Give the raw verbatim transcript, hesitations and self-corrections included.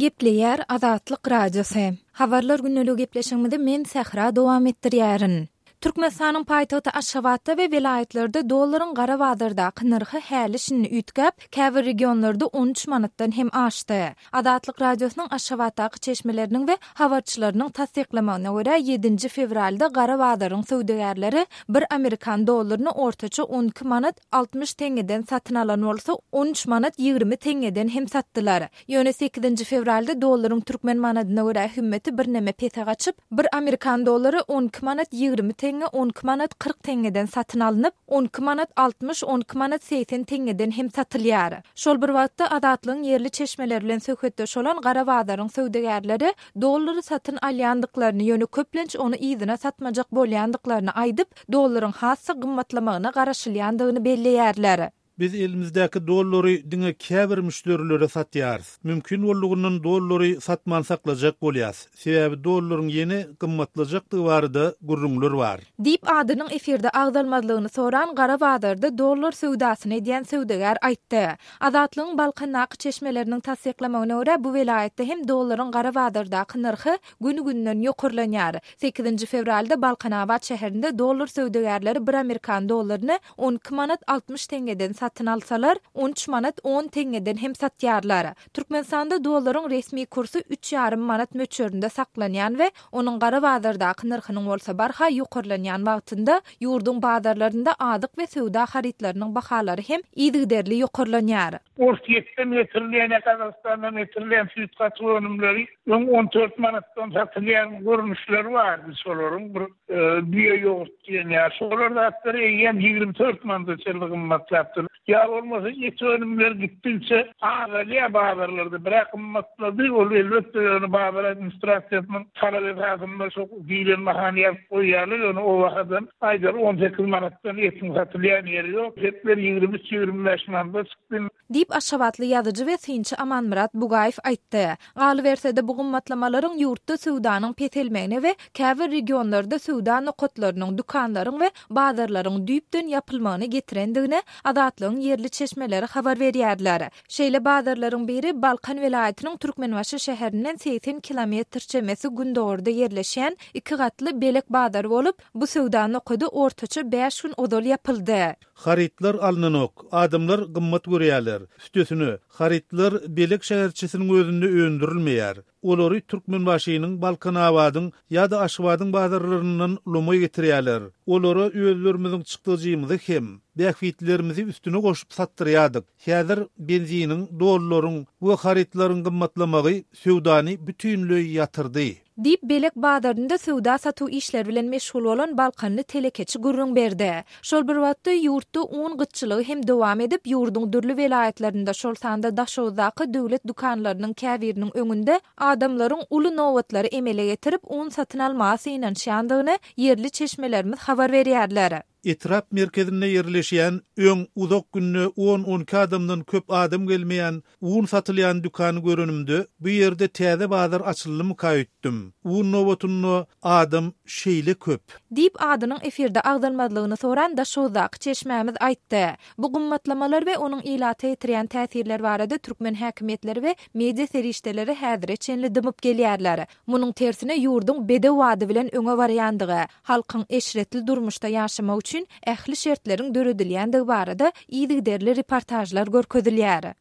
Gepleýär Azatlyk Radiosy. Habarlar gündeligi gepleşigimizi men Sähra dowam etdirýärin. Türkmenistanyň paýtagty Aşgabatda we welaýatlarda dollaryň gara bazardaky nyrhy häli şindi üýtgäp, käbir regionlarda on üç manatdan hem aşdy. Azatlyk Radiosynyň Aşgabatdaky çeşmeleriniň we habarçylarynyň tassyklamagyna görä, ýedinji fewralda gara bazaryň söwdagärleri bir amerikan dollaryny ortaça on iki manat altmyş teňňeden satyn alan bolsa, on üç manat ýigrimi teňňeden hem satdylar. Ýöne sekizinji fewralda dollaryň türkmen manadyna görä hümmeti birneme pese gaçyp, bir amerikan dollary on iki manat ýigrimi teňňe on iki manat kyrk teňňeden satyn alnyp, on iki manat altmyş, on iki manat segsen teňňeden hem satylýar. Şol bir wagtda Azatlygyň ýerli çeşmeleri bilen söhbetdeş bolan gara bazaryň söwdagärleri dollary satyn alýandyklaryny, ýöne köplenç ony yzyna satmajak bolýandyklaryny aýdyp, dollaryň has-da gymmatlamagyna garaşylýandygyny belleýärler. Biz elimizdäki dollary diňe käbir müşderilere satýarys. Mümkin boldugyndan dollary satman saklajak bolýas. Sebäbi dollaryň ýene gymmatlajakdygy barada gürrüňler bar. Diýip adynyň efirde agzalmazlygyny soran gara bazarda dollar söwdasyny edýän söwdagär aýtdy. Azatlygyň Balkandaky çeşmeleriniň tassyklamagyna görä, bu welaýatda hem dollaryň gara bazardaky nyrhy gün-günden ýokarlanýar. Sekizinji fewralda Balkanabat şäherinde dollar söwdagärleri bir amerikan dollaryny on iki manat altmyş teňňeden satyn alsalar, on üç manat on teňňeden hem satýarlar. Türkmenistanda dollaryň resmi kursy üç ýarym manat möçberinde saklanýan we onuň gara bazardaky nyrhynyň bolsa barha ýokarlanýan wagtynda ýurduň bazarlarynda azyk we söwda harytlarynyň bahalary hem yzygiderli ýokarlanýar. Orsýetden getirilýän, Gazagystandan getirilýän süýt gatyk önümleri öň on dört manatdan satylýan görnüşleri bardy. Şolaryň bir, e, düýe ýogurt diýen ýa şolar zatlar eýýäm ýigrimi dört manata çenli gymmatlapdyr. Ýa bolmasa et önümleri gitdikçe azalýar bazarlarda. Birak gymmatlady, ol elbetde ýöne bazar administrasiýasynyň talap esasynda şo diýlen bahany ýazyp goýýarlar, ýöne o bahadan aýdar on sekiz manatdan etiň satylýan ýeri ýok. Etler ýigrimi üç, ýigrimi bäş manata çykdy. Diýip Aşgabatly ýazyjy we synçy Amanmyrat Bugaýew aýtdy. Galyberse-de bu gymmatlamalaryň ýurtda söwdanyň peselmegine we käbir regionlarda söwda nokatlarynyň, dükanlaryň we bazarlaryň düýpden ýapylmagyna getirendigini Azatlygyň ýerli çeşmeleri habar berýärler. Şeýle bazarlaryň biri Balkan welaýatynyň Türkmenbaşy şäherinden segsen kilometr çemesi gündogarda ýerleşýän iki gatly Belek bazary bolup, bu söwda nokady ortaça bäş gün ozal ýapyldy. Harytlar alynanok, adamlar gymmat görýärler. Üstesine, harytlar Belek şäherçesiniň özünde öndürilmeýär. Olary Türkmenbaşynyň, Balkanabadyň ýa-da Aşgabadyň bazarlaryndan lomaý getirýärler. Olara özlerimiziň çykdajymyzy hem bähbitlerimizi üstüne goşup satdyrýardyk. Häzir benziniň, dollaryň we harytlaryň gymmatlamagy söwdany bütünleý ýatyrdy. Diýip Belek bazarynda söwda satuw işleri bilen meşgul bolan Balkanly telekeçi gürrüň berdi. Şol bir wagtda ýurtda un gytçylygy hem dowam edip, ýurduň dürli welaýatlarynda, şol sanda Daşoguzdaky döwlet dükanlarynyň käbiriniň öňünde adamlaryň uly nobatlary emele getirip, un satyn almaga synanyşýandygyny ýerli çeşmelerimiz habar berýärler. Etrap merkezinde ýerleşýän öň uzak günde on-on iki adamdan köp adam gelmeýän un satylýan dükany görenimde bu ýerde täze bazar açyldymyka öýtdüm. Un nobatynda adam şeýle köp. Diýip adynyň efirde agzalmazlygyny soran Daşoguzdaky çeşmämiz aýtdy. Bu gymmatlamalar we onuň ilata ýetirýän täsirler barada türkmen häkimiýetleri we media serişdeleri häzire çenli dymyp gelýärler. Munuň tersine ýurduň bedew ady bilen öňe barýandygy, halkyň eşretli durmuşda ýaşamak üçin ähli şertleriň döredilýändigi barada yzygiderli reportajlar görkezilýär.